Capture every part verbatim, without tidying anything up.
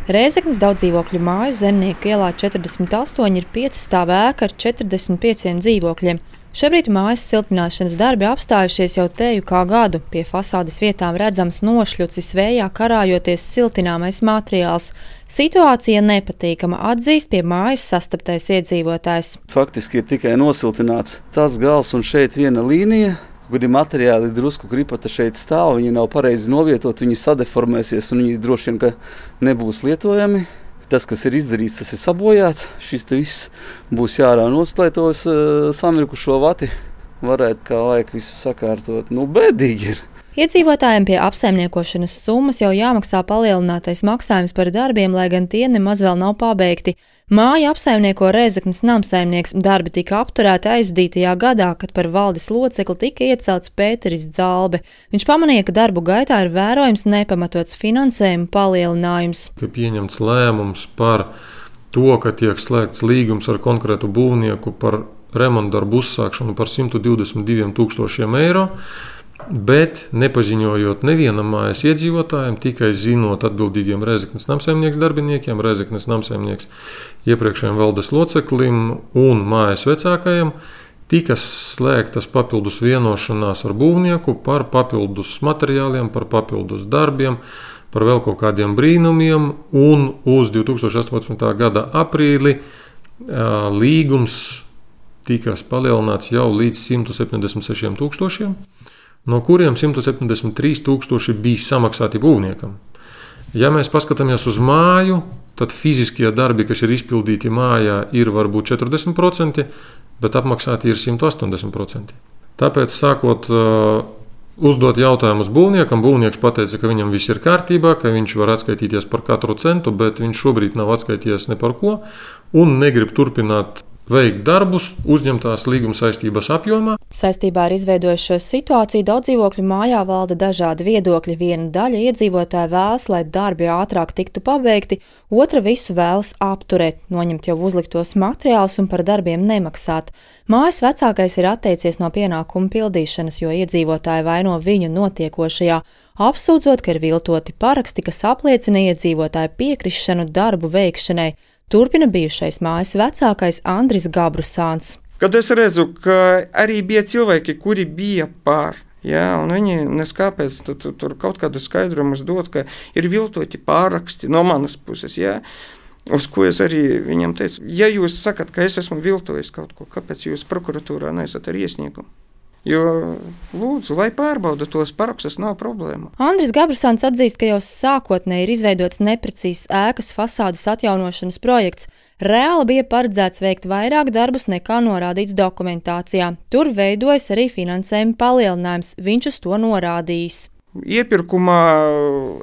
Rēzeknes daudzdzīvokļu mājas Zemnieku ielā četrdesmit astoņi ir piecstāvu ēka ar četrdesmit pieciem dzīvokļiem. Šobrīd mājas siltināšanas darbi apstājušies jau teju kā gadu. Pie fasādes vietām redzams nošļucis vējā karājoties siltināmais materiāls. Situācija nepatīkama, atzīst pie mājas sastaptais iedzīvotājs. Faktiski ir tikai nosiltināts tas gals un šeit viena līnija, kuri materiāli drusku kripata šeit stāv. Viņi nav pareizi novietot, viņi sadeformēsies un viņi droši vien, ka nebūs lietojami. Tas, kas ir izdarīts, tas ir sabojāts. Šis te viss būs jārā nost, lai tos uh, samirkušo vati varētu kā laika visu sakārtot. Nu, bēdīgi ir. Iedzīvotājiem pie apsaimniekošanas summas jau jāmaksā palielinātais maksājums par darbiem, lai gan tie nemaz vēl nav pabeigti. Māju apsaimnieko Rēzeknes namsaimnieks. Darbi tika apturēti aizvadītajā gadā, kad par valdes locekli tika iecelts Pēteris Dzalbe. Viņš pamanīja, ka darbu gaitā ir vērojams nepamatots finansējuma palielinājums. Ka pieņemts lēmums par to, ka tiek slēgts līgums ar konkrētu būvnieku par remontdarbu uzsākšanu par simt divdesmit diviem tūkstošiem eiro. Bet nepaziņojot nevienam mājas iedzīvotājiem, tikai zinot atbildīgiem Rēzeknes namsaimnieks darbiniekiem, Rēzeknes namsaimnieks iepriekšējiem valdes loceklim un mājas vecākajiem, tika slēgtas papildus vienošanās ar būvnieku par papildus materiāliem, par papildus darbiem, par vēl kaut kādiem brīnumiem, un uz divi tūkstoši astoņpadsmitā gada aprīli līgums tika palielināts jau līdz simt septiņdesmit sešiem tūkstošiem. No kuriem simt septiņdesmit trīs tūkstoši bija samaksāti būvniekam. Ja mēs paskatāmies uz māju, tad fiziskie darbi, kas ir izpildīti mājā, ir varbūt četrdesmit procenti, bet apmaksāti ir simt astoņdesmit procenti. Tāpēc, sākot uh, uzdot jautājumus būvniekam, būvnieks pateica, ka viņam viss ir kārtībā, ka viņš var atskaitīties par katru centu, bet viņš šobrīd nav atskaitījies ne par ko un negrib turpināt veikt darbus uzņemtās līguma saistības apjomā. Saistībā ar izveidojušo situāciju daudzdzīvokļu mājā valda dažādi viedokļi. Viena daļa iedzīvotāji vēlas, lai darbi ātrāk tiktu pabeigti, otra visu vēlas apturēt, noņemt jau uzliktos materiālus un par darbiem nemaksāt. Mājas vecākais ir atteicies no pienākumu pildīšanas, jo iedzīvotāji vaino viņu notiekošajā, apsūdzot, ka ir viltoti paraksti, kas apliecina iedzīvotāju piekrišanu darbu veikšanai. Turpina bijušais mājas vecākais Andris Gabrusāns. Kad es redzu, ka arī bija cilvēki, kuri bija pār, jā, un viņi neskāpēc tad, tur kaut kādu skaidrumus dot, ka ir viltoti pāraksti no manas puses, jā, uz ko es arī viņam teicu. Ja jūs sakat, ka es esmu viltojis kaut ko, kāpēc jūs prokuratūrā neesat ar iesniegumu? Jo, lūdzu, lai pārbauda tos parakstus, nav problēma. Andris Gabrusāns atzīst, ka jau sākotnēji ir izveidots neprecīzs ēkas fasādes atjaunošanas projekts. Reāli bija paredzēts veikt vairāk darbus nekā norādīts dokumentācijā. Tur veidojas arī finansējuma palielinājums. Viņš uz to norādījis. Iepirkumā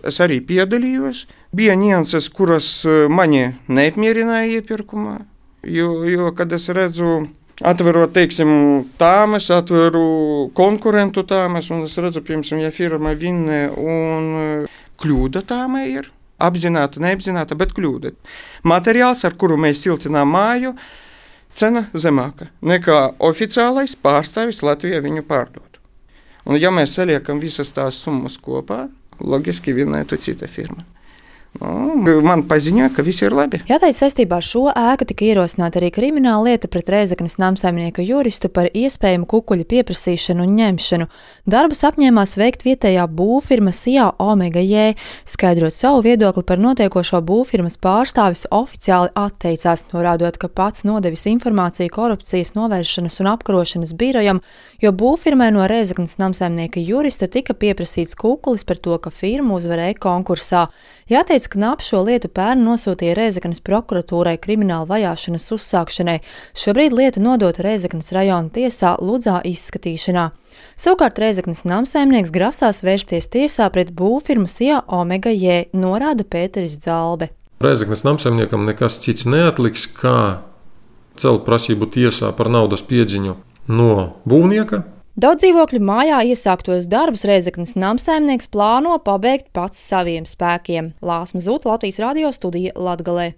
es arī piedalījos. Bija nianses, kuras mani neapmierināja iepirkumā, jo, jo kad es redzu atverot, teiksim, tāmes, atveru konkurentu tāmes, un es redzu, piemēram, ja firma Vinne un kļūda tāmē ir, apzināta, neapzināta, bet kļūda. Materiāls, ar kuru mēs siltinām māju, cena zemāka nekā oficiālais pārstāvis Latvijā viņu pārdot. Un ja mēs saliekam visas tās summas kopā, logiski vinnētu cita firma. Nu, man paziņoja, ka viss ir labi. Jāteic, saistībā ar šo ēku tika ierosināta arī krimināla lieta pret Rēzeknes namsaimnieka juristu par iespējamu kukuļu pieprasīšanu un ņemšanu. Darbus apņēmās veikt vietējā būvfirma Sijā Omega J. Skaidrot savu viedokli par notiekošo, būvfirmas pārstāvis oficiāli atteicās, norādot, ka pats nodevis informāciju korupcijas novēršanas un apkarošanas birojam, jo būvfirmai no Rēzeknes namsaimnieka jurista tika pieprasīts kukulis par to, ka firma uzvarēja konkursā. Jāteic, ka N A P šo lietu pērn nosūtīja Rēzeknes prokuratūrai krimināla vajāšanas uzsākšanai. Šobrīd lieta nodota Rēzeknes rajona tiesā Ludzā izskatīšanā. Savukārt Rēzeknes namsaimnieks grasās vērsties tiesā pret būvfirmu Sijā Omega J, norāda Pēteris Dzalbe. Rēzeknes namsaimniekam nekas cits neatliks, kā celt prasību tiesā par naudas piedziņu no būvnieka. Daudzdzīvokļu mājā iesāktos darbus Rēzeknes namsaimnieks plāno pabeigt pats saviem spēkiem. Lāsma Zūta, Latvijas radio studija Latgalē.